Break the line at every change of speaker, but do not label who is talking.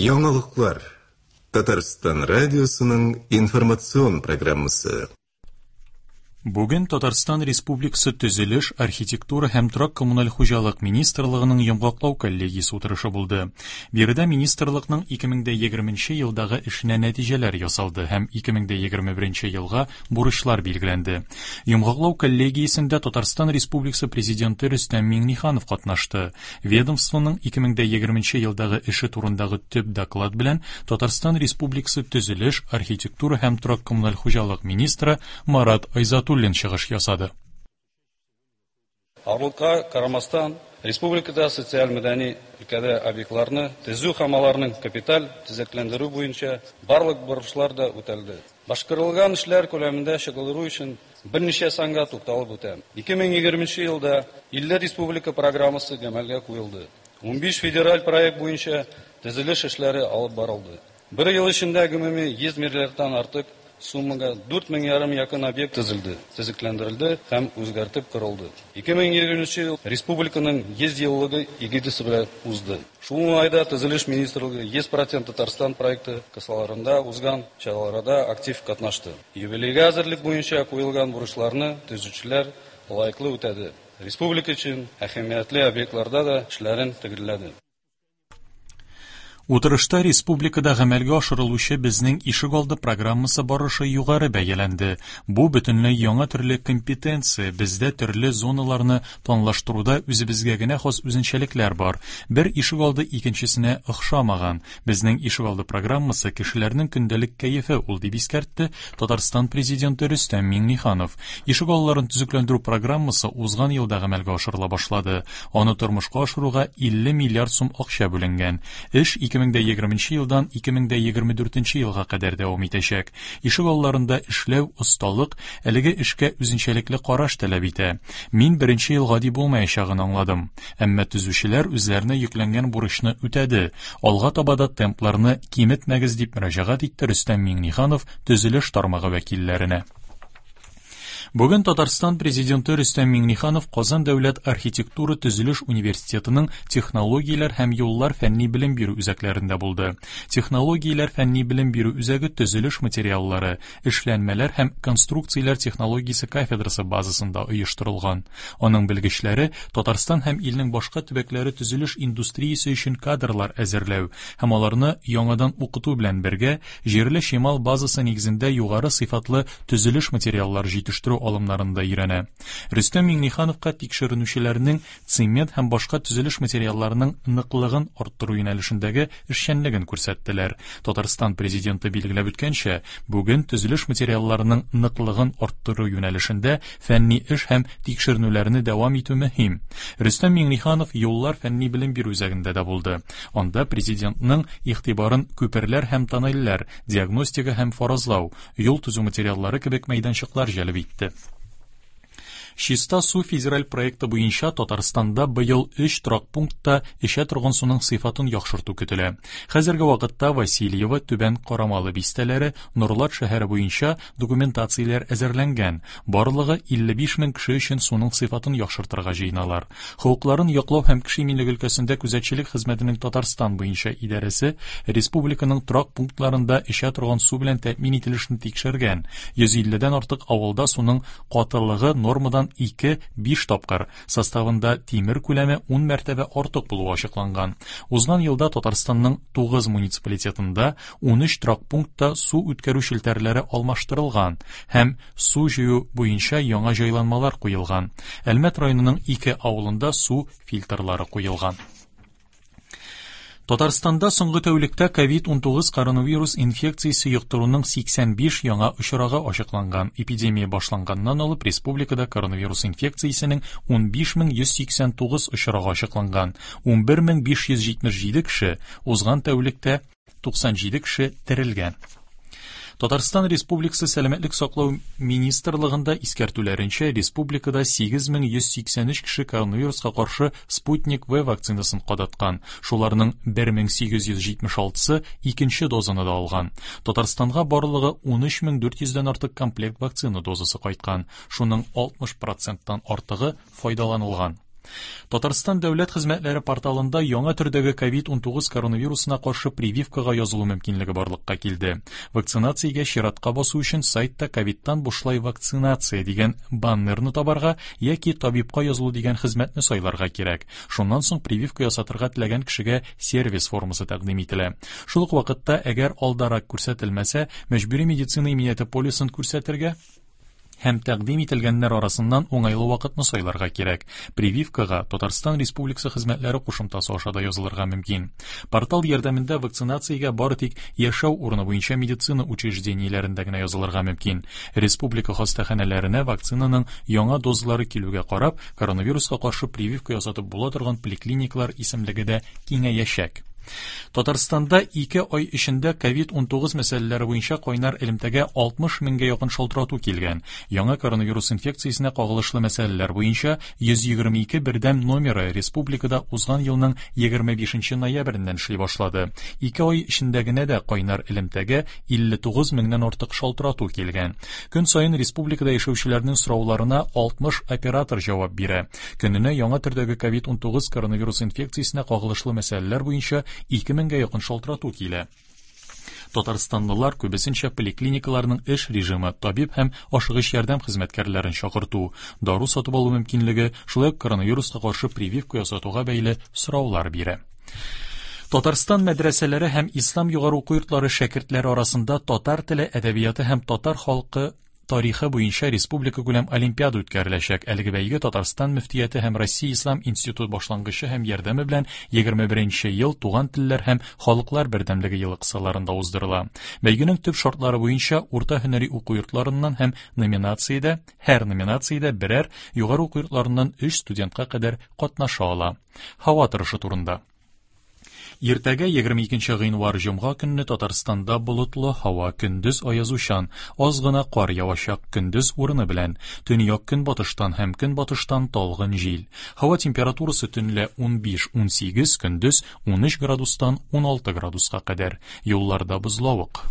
Яңалыклар. Татарстан радиосының информацион программасы.
Бүген Татарстан Республикасы Төзелеш, архитектура һәм торак-коммуналь хуҗалык министрлыгының йомгаклау коллегиясе утырышы булды. Биредә министрлыкның 2020 елдагы эшенә нәтиҗәләр ясалды һәм 2021 елга бурычлар билгеләнде. Йомгаклау коллегиясендә Татарстан Республикасы Президенты Рөстәм Миңнеханов катнашты. Ведомствоның 2020 елдагы эше турындагы төп доклад белән Татарстан Республикасы Төзелеш, архитектура һәм торак-коммуналь хуҗалык министры Марат Айзатуллин чыгыш ясады.
Авырлыкка карамастан, республикада социаль-мәдәни өлкәдә объектларны төзү һәм аларның капиталь төзекләндерү буенча барлык бурычлар да үтәлде. Башкарылган эшләр күләмендә чагылдыру өчен берничә санга тукталып үтәм. 2020 елда 50 республика программасы гамәлгә куелды. 15 федераль проект буенча төзелеш эшләре алып барылды. Бер ел эчендә гомуми 100 миллиардтан артык суммага 4,5 мең якын объект төзелде, төзекләндерелде һәм үзгәртеп корылды. 2020 ел республиканың 100 еллыгы эгидасы белән узды. Шул уңайда Төзелеш министрлыгы 100% Татарстан проекты кысаларында узган чараларда актив катнашты. Юбилейга әзерлек буенча куелган бурычларны төзүчеләр лаеклы үтәде. Республика өчен әһәмиятле объектларда да эшләрен төгәлләде.
Утырышта республикада гамәлгә ашырылучы Безнең ишегалды программасы барышы югары бәяләнде. Бу бөтенләй яңа төрле компетенция, бездә төрле зоналарны планлаштыруда үзебезгә генә хас үзенчәлекләр бар. Бер ишегалды икенчесенә охшамаган. Безнең ишегалды программасы кешеләрнең көндәлек кәефе ул, дип искәртте Татарстан Президенты Рөстәм Миңнеханов. Ишегалларын төзекләндерү программасы узган елда гамәлгә ашырыла башлады. Аны тормышка ашыруга 50 миллиард сум акча бүленгән. Эш 2020 елдан 2024 елга кадәр дәвам итәчәк. Ишегалларында эшләү, осталык, әлеге эшкә үзенчәлекле караш таләп итә. Мин беренче ел гади булмаячагын аңладым. Әмма төзүчеләр үзләренә йөкләнгән бурычны үтәде. Алга таба да темпларны киметмәгез, дип мөрәҗәгать итте Рөстәм Миңнеханов төзелеш тармагы вәкилләренә. Бүген Татарстан Президенты Рөстәм Миңнеханов Казан дәүләт архитектура-төзелеш университетының технологияләр һәм юллар фәнни белем бирү үзәкләрендә булды. Технологияләр фәнни белем бирү үзәге төзелеш материаллары, эшләнмәләр һәм конструкцияләр технологиясе кафедрасы базасында оештырылган. Аның белгечләре Татарстан һәм илнең башка төбәкләре төзелеш индустриясе өчен кадрлар әзерләү һәм аларны яңадан укыту белән бергә, җирле чимал базасы нигезендә югары сыйфатлы төзелеш материаллары җитештерү алымнарын да өйрәнә. Рөстәм Миңнехановка тикшеренүчеләрнең цемент һәм башка төзелеш материалларының ныклыгын арттыру юнәлешендәге эшчәнлеген күрсәттеләр. Татарстан Президенты билгеләп үткәнчә, бүген төзелеш материалларының ныклыгын арттыру юнәлешендә фәнни эш һәм тикшеренүләрне дәвам итү мөһим. Рөстәм Миңнеханов Юллар фәнни-белем бирү үзәгендә дә булды. Анда Президентның игътибарын күперләр һәм тоннельләр, диагностика һәм фаразлау, юл төзү материаллары кебек мәйданчыклар җәлеп итте. Чиста су федераль проекты буенча Татарстанда быел өч торак пунктта эчә торган суның сыйфатын яхшырту көтелә. Хәзерге вакытта Васильево, Түбән Карамалы бистәләре, Нурлат шәһәре буенча документацияләр әзерләнгән. Барлыгы 55 мең кеше өчен суның сыйфатын яхшыртырга җыеналар. Хокукларын яклау һәм кеше иминлеге өлкәсендә күзәтчелек хезмәтенең Татарстан буенча идарәсе республиканың торак пунктларында эчә торган су белән тәэмин ителешне тикшергән. 150 дән артык авылда суның катылыгы нормадан 2-5 тапкыр, составында тимер күләме 10 мәртәбә артык булуы ачыкланган. Узган елда Татарстанның 9 муниципалитетында 13 торак пунктта су үткәрү челтәрләре алмаштырылган һәм су җыю буенча яңа җайланмалар куелган. Әлмәт районының ике авылында су фильтрлары куелган. Татарстанда соңгы тәүлектә COVID-19 коронавирус инфекциясе йоктыруның 85 яңа очрагы ачыкланган. Эпидемия башланганнан алып республикада коронавирус инфекциясенең 15189 очрагы ачыкланган. 11577 кеше узган тәүлектә 97 кеше терелгән. Татарстан Республикасы Сәламәтлек саклау министрлыгында искәртүләренчә, республикада 8183 кеше коронавируска каршы Спутник V вакцинасын кадаткан. Шуларның 1876-сы икенче дозаны да алган. Татарстанга барлыгы 13400 дән артык комплект вакцина дозасы кайткан. Шуның 60 проценттан артыгы файдаланылган. Татарстан дәүләт хезмәтләре порталында яңа төрдәге COVID-19 коронавирусына каршы прививкага язылу мөмкинлеге барлыкка килде. Вакцинациягә чиратка басу өчен сайтта ковидтан бушлай вакцинация дигән баннерны табарга яки табибка язылу дигән хезмәтне сайларга кирәк. Шуннан соң прививка ясатырга теләгән кешегә сервис формасы тәкъдим ителә. Шул ук вакытта, әгәр алдарак күрсәтелмәсә, мәҗбүри медицина иминияте полисын күрсәтергә һәм тәкъдим ителгәннәр арасыннан уңайлы вакытны сайларга кирәк. Прививкага Татарстан Республикасы хезмәтләре кушымтасы аша да язылырга мөмкин. Портал ярдәмендә вакцинациягә бары тик яшәү урыны буенча медицина учреждениеләрендә генә язылырга мөмкин. Республика хастаханәләренә вакцинаның яңа дозалары килүгә карап, коронавируска каршы прививка ясатып була торган поликлиникалар исемлеге дә киңәячәк. Татарстанда 2 ай эчендә COVID-19 мәсьәләләре буенча кайнар элемтәгә 60 меңгә якын шалтырату килгән. Яңа коронавирус инфекциясенә кагылышлы мәсьәләләр буенча 122 бердәм номеры республикада узган елның 25 ноябреннән эшли башлады. 2 ай эчендә генә дә кайнар элемтәгә 59 меңнән артык шалтырату килгән. Көн саен республикада яшәүчеләрнең сорауларына 60 оператор җавап бирә. Көненә яңа төрдәге COVID-19 коронавирус инфекциясенә кагылышлы мәсьәләләр буенча 2000гә якын шалтырату килә. Татарстанлылар күбесенчә поликлиникаларның эш режимы, табиб һәм ашыгыч ярдәм хезмәткәрләрен чакырту, дару сатып алу мөмкинлеге, шулай ук коронавируска каршы прививка ясатуга бәйле сораулар бирә. Татарстан мәдрәсәләре һәм ислам югары уку йортлары шәкертләре арасында татар теле, әдәбияты һәм татар халкы тарихы буенча республика күләм олимпиада үткәреләчәк. Әлеге бәйге Татарстан мөфтияте һәм Россия Ислам институты башлангычы һәм ярдәме белән 21 ел туган телләр һәм халыклар бердәмлеге елы кысаларында уздырыла. Бәйгенең төп шартлары буенча урта һөнәри уку йортларыннан һәм номинациядә, һәр номинациядә берәр югары уку йортларыннан 3 студентка кадәр катнаша ала. Һава торышы турында. Иртәгә 22 гыйнвар җомга көнне Татарстанда болытлы һава, көндез аязучан, аз гына кар явачак, көндез урыны белән, төньяк көнбатыштан һәм көнбатыштан талгын җил. Һава температурасы төнлә 15-18, көндез 13 градустан 16 градуска кадәр. Юлларда бозлавык.